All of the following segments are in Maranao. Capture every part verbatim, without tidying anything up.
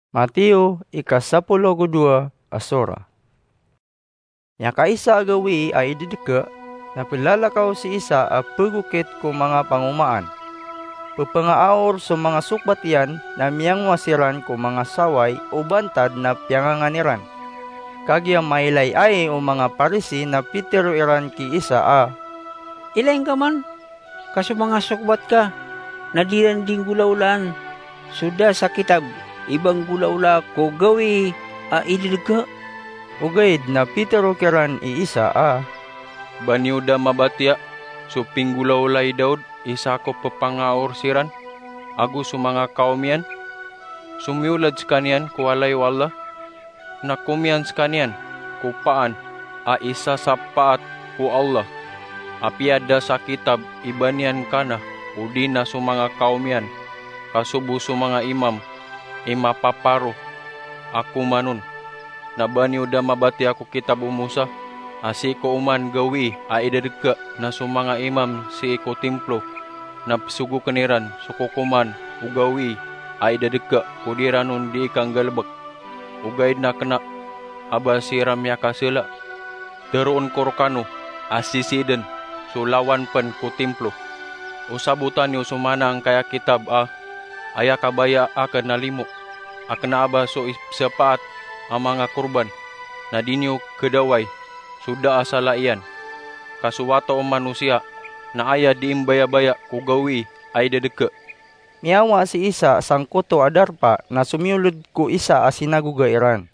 Mateo, ika sapolo ago dowa a sora. Miyakaisa a gawii a idedeke, na pelalakaw si Isa a pegokit ko manga pangomaan. Pepangaaor so manga sokbat iyan na miyangowa siran ko manga saway o bantad na piyangangan iran. Kagiya mailay ai o manga Parisi na pitero iran ki Isa a, "Ilay ngka man, ka so manga sokbat ka na di ran di nggolawlaan so da sa kitab i ba nggolawlaa ko gawii a idedeke?" Ogaid na pitero kiran i Isa a, "Ba niyo da mabatiya so pinggolawlaa i Daud isa ko pepangaor siran ago so manga kawm iyan? So miyolad sekaniyan ko walay o Allah, na komiyan sekaniyan ko paan a isasapaat ko Allah. Apiya da sa kitab i ba niyan kana odi na so manga kawm iyan, ka sobo so manga imam i mapaparo a koman on. Na ba niyo da mabatiya ko kitab o Musa, a sii ko oman gawii a idedeke na so manga imam sii ko timplo na pesogoken iran so kokoman o gawii a idedeke ko di ran on di ikanggalebek? Ogaid na kena a ba siran miyakasela. Teroon ko rekano a sisii den so lawan pen ko timplo. O sabota niyo so mana angkaya kitab a, aya kabaya aken na limo, a kena a ba so ipesapaat a manga korban, na di niyo kedaway so da a sala iyan. Ka so Wata o Manosiya na aya di imbayabaya ko gawii a idedeke." Miyawa si Isa sangkoto a darpa na somiyoled ko isa a sinagoga iran.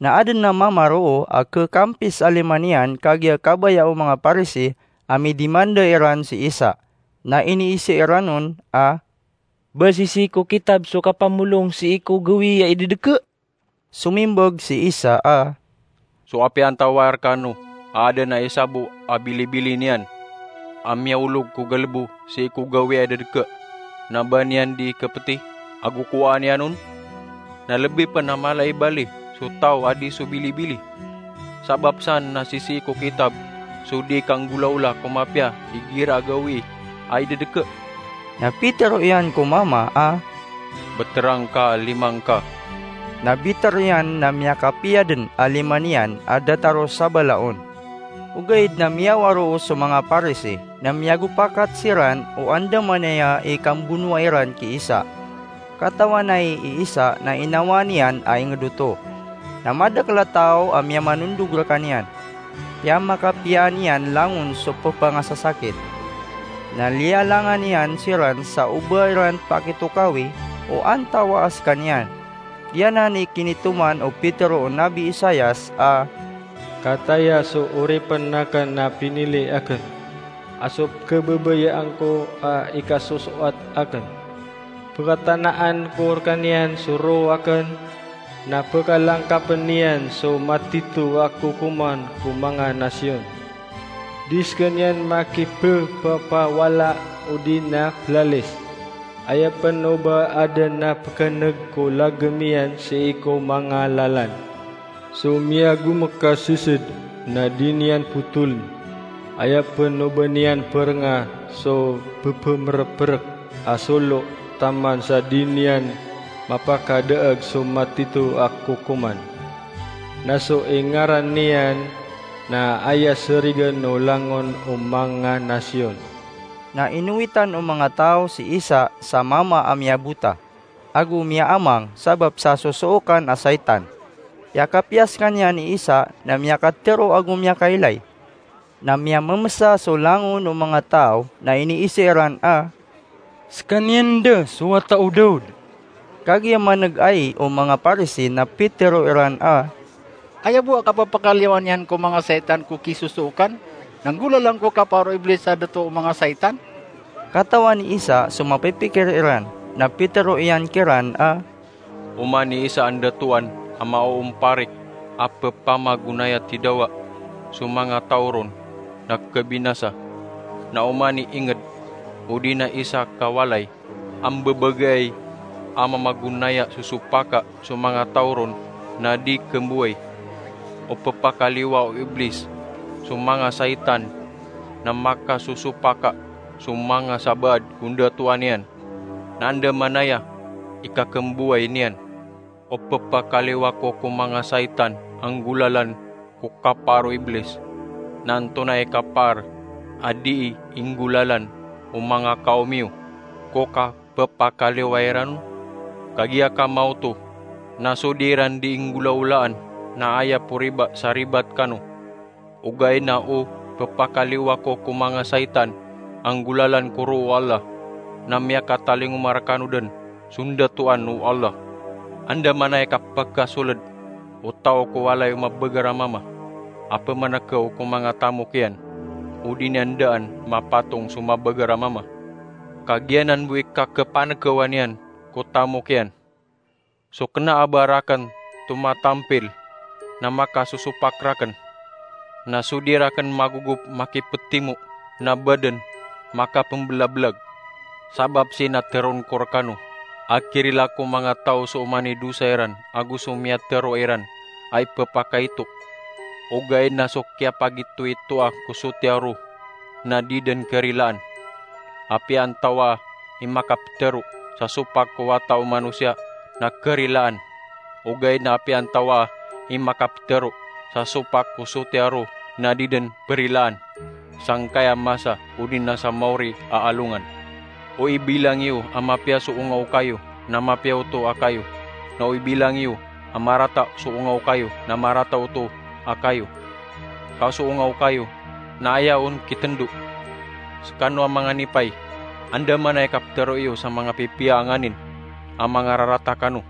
Na aden a mama roo a kekampis a lima niyan kagiya kabaya o manga Parisi a midimanda iran si Isa. Na iniise iran on a, "Ba sisii ko kitab so kapamolong sii ko gawii a idedeke?" Somimbag si Isa a, "So apiya antawaa rekano a aden a isa bo a bilibili niyan a miyaolog ko galebo sii ko gawii a idedeke, na ba niyan di kepeti ago kowaan iyan on? Na lebi pen a mala i bali so taw a di so bilibili. Sabap san na sisii ko kitab so di ikanggolawla ko mapiya igira a gawii a idedeke." Na pitero iyan ko mama a, "Beterang ka a lima ngka." Na biter iyan na miyakapiya den a lima niyan a datar o sabala on. Ogaid na miyawa roo so manga Parisi, na miyagopakat siran o andamanaya i kambonoa iran ki Isa. Katawan ai i Isa na inawaan iyan a inged oto. Na madakel a taw a miyamanondog rekaniyan. Piyamakapiyaan iyan langon so pepangasasakit. Na liyalangan iyan siran sa o ba iran pakitokawi o antawaa sekaniyan. Giyanan i kinitoman o Petero o Nabi Isaias a, "Kataya so oripen aken a pinili aken, a so kebabayaan ko a ikasosoat aken. Pekatanaan ko rekaniyan so roo aken, na pekalangkapen iyan so matito a kokoman ko manga nasiyon. Di sekaniyan makipepapawala odi na pelalis. Aya pen o ba aden a pekeneg ko lagem iyan sii ko manga lalan. So miyagomek a sesed na di niyan potolen. Aya pen o ba niyan perenga so pepemereperek a solo taman sa di niyan mapakadaeg so matito a kokoman. Na so ingaran iyan na aya serigen o langon o manga nasiyon." Na inowitan o manga taw si Isa sa mama a miyabota ago miyaamang sabap sa sosookan a saitan. Iyakapiya sekaniyan i Isa na miyakatero ago miyakailay. Na miyamemesa so langon o manga taw na iniise iran a, "Sekaniyan da so Wata o Daud." Kagiya maneg ai o manga Parisi na pitero iran a, "Aya bo a kapepakaliyowan iyan ko manga saitan ko kisosookan, na nggolalan ko kaparo o Iblis a dato o manga saitan?" Katawan i Isa so mapipikir iran, na pitero iyan kiran a, "Oman i isa a ndatoan a maoomparik a pepamagonaya tidawa so manga taw ron na kebinasa. Na oman i inged odi na isa ka walay a mbebegay a mamagonaya so sopaka so manga taw ron na di kemboway, o pepakaliyowa o Iblis so manga saitan na makasosopaka so manga sabaad ko ndatoan iyan, na andamanaya i kakemboway niyan." O pepakaliwa ko ko manga saitan a nggolalan ko kapaar o Iblis, na antonaa i kapaar a dii inggolalan o manga kaom iyo ko kapepakaliwa iran on? Kagiya ka maoto na so di iran dii nggolaolaan na aya po riba sa ribat kano. Ogaid na o pepakaliwa ko ko manga saitan a nggolalan ko roo o Allah, na miyakatalingoma rekano den so ndatoan o Allah. Andamanaya i kapekasoled o taw ko walay o mabeger a mama a pemanekaw ko manga tamok iyan, odi niyan daan mapatong so mabeger a mama. Kagiya nan bo i kakepanekawan iyan ko tamok iyan. So kena a ba raken tomatampil na makasosopak raken, na so di raken magogop makipetimo na baden makapembelabelag. Sabap sii na teroon ko rekano a kirila ko manga taw so oman i dosa iran ago so miyatero iran a ipepakaito. Ogaid na so kiyapagitoitoa ko sotiya ro na di den kerilaan. Apiya antawaa i makapetero sa sopak ko wata o manosiya na kerilaan, ogaid na apiya antawaa i makapetero sa sopak ko sotiya ro na di den perilaan, sangkaya masa odi na sa maori a alongan. O ibilang iyo a mapiya so onga o kayo na mapiya oto a kayo, na o ibilang iyo a marata so onga o kayo na marata oto a kayo. Ka so onga o kayo na aya on kitendo. Sekano a manga nipay, andamanaya i kapetero iyo sa manga pipiya a nganin a manga rarata kano,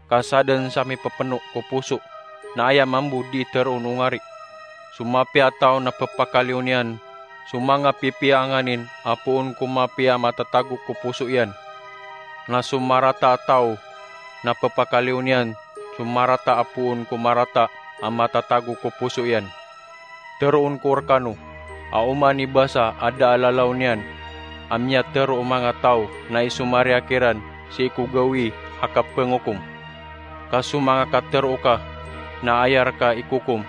ka sa den sa mipepeno ko poso na aya mambo di teroon o ngari. So mapiya a taw na pepakaliyon iyan so manga pipiya a nganin a poon ko mapiya a matatago ko poso iyan, na so marata a taw na pepakaliyon iyan so marata a poon ko marata a matatago ko poso iyan. Teroon ko rekano a oman i basa a da a lalaw niyan a miyatero o manga taw na isomariya kiran sii ko gawii a kapengokom. Ka so manga katero ka na aya reka ikokom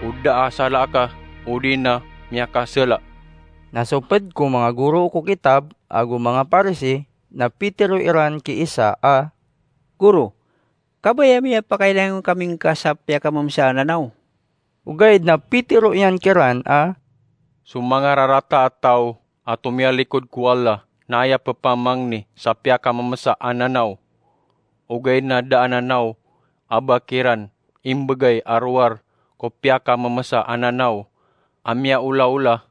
o da a sala ka odi na miyakasala. Na so ped ko manga goro ko kitab ago manga Parisi na pitero iran ki Isa a, "Goro, kabaya miyapakailangan kami ngka sa piyakamemesa a nanaw?" Ogaid na pitero iyan kiran a, "So manga rarata a taw a tomiyalikod ko Allah na aya pepamangni sa piyakamemesa a nanaw. Ogaid na da a nanaw a ba kiran imbegay a rowar ko piyakamemesa a nanaw a miyaolaola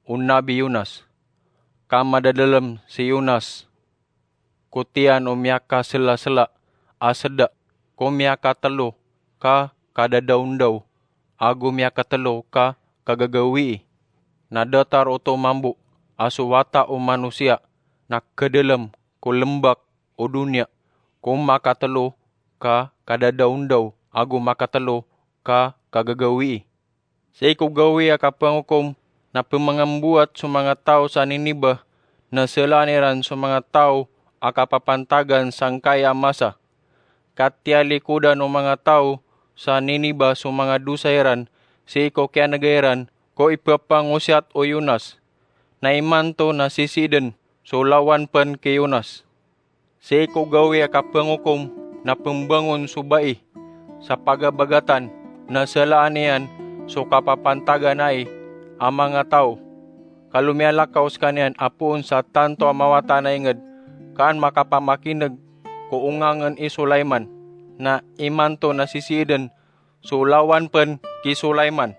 o Nabi Yonas. Ka madadalem si Yonas ko tiyan o miyakaselasela a seda, ko miyakatelo ka kadadaondaw, ago miyakatelo ka kagagawii. Na datar oto mambo a so wata o manosiya na kedalem ko lembak o doniya, ko makatelo ka kadadaondaw ago makatelo ka kagagawii." Sii ko gawii a kapengokom na pemangambowat so manga taw sa Niniba na selaan iran so manga taw a kapapantagan sangkai a masa. Ka tiyalikodan o manga taw sa Niniba so manga dosa iran sii ko kiyanega iran ko ipepangosiyat o Yonas. Na imanto na sisiiden so lawan pen ki Yonas. Sii ko gawii a kapengokom na pembangon so bai sa pagabagatan na selaan iyan so kapapantagan ai a manga taw. Ka lomiyalakaw sekaniyan a poon sa tanto a mawatan a inged ka an makapamakineg ko ongangen i Sulaiman, na imanto na sisiiden so lawan pen ki Sulaiman.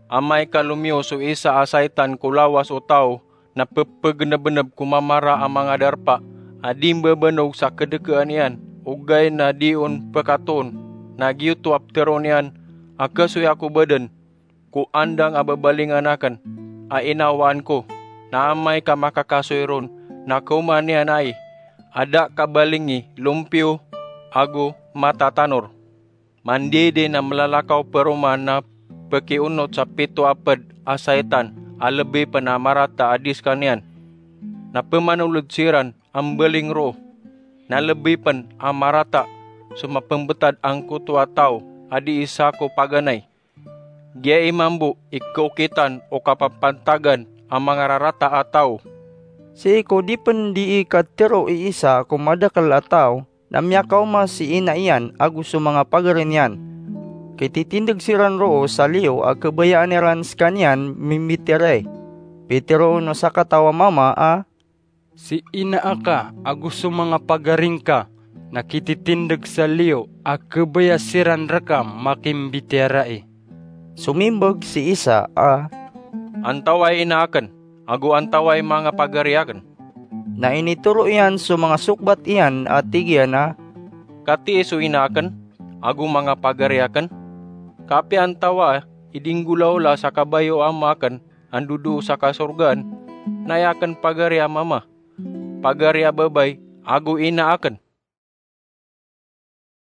Amay ka lomiyo so isa a saitan ko lawas o taw na pepegenebeneb ko mamara a manga darpa a di mbebenog sa kedekaan iyan, ogaid na di on pekatoon, na giyoto a petero niyan a kasoya ko baden ko andang a babalingan aken a inawaan ko, na amay ka makakasoy ron na kaoma niyan ai a da kabalingi lompiyo ago matatanor. Mandidi na melalakaw peroma na pekionot sa pito a ped a saitan a lebi pen a marata a di sekaniyan. Na pemanolod siran a mbaling roo. Na lebi pen a marata so mapembetad angkoto a taw a di isa ko paganay. Giya i mambo i kaokitan o kapapantagan a mangararata a taw. Sii ko di pen dii katero i isa ko madakel a taw, na miyakaoma si ina iyan ago so manga pagari niyan. Kititindeg siran roo sa liyo a kabayaan iran sekaniyan mimbitiyarai. Piteroon o sakataw a mama a, "Si ina aka ago so manga pagari ngka na kititindeg sa liyo a kabaya siran reka makimbitiyarai." Somimbag si isa a, "Antawaa i ina aken, ago antawaa i manga pagari aken?" Na initoro iyan so manga sokbat iyan a tig iyan a, "Katii so ina aken ago manga pagari aken? Ka apiya antawaa i di nggolawla sa kabaya o Ama aken a ndodoo sa kasorgaan, na aya aken pagari a mama, pagari a babay, ago ina aken?"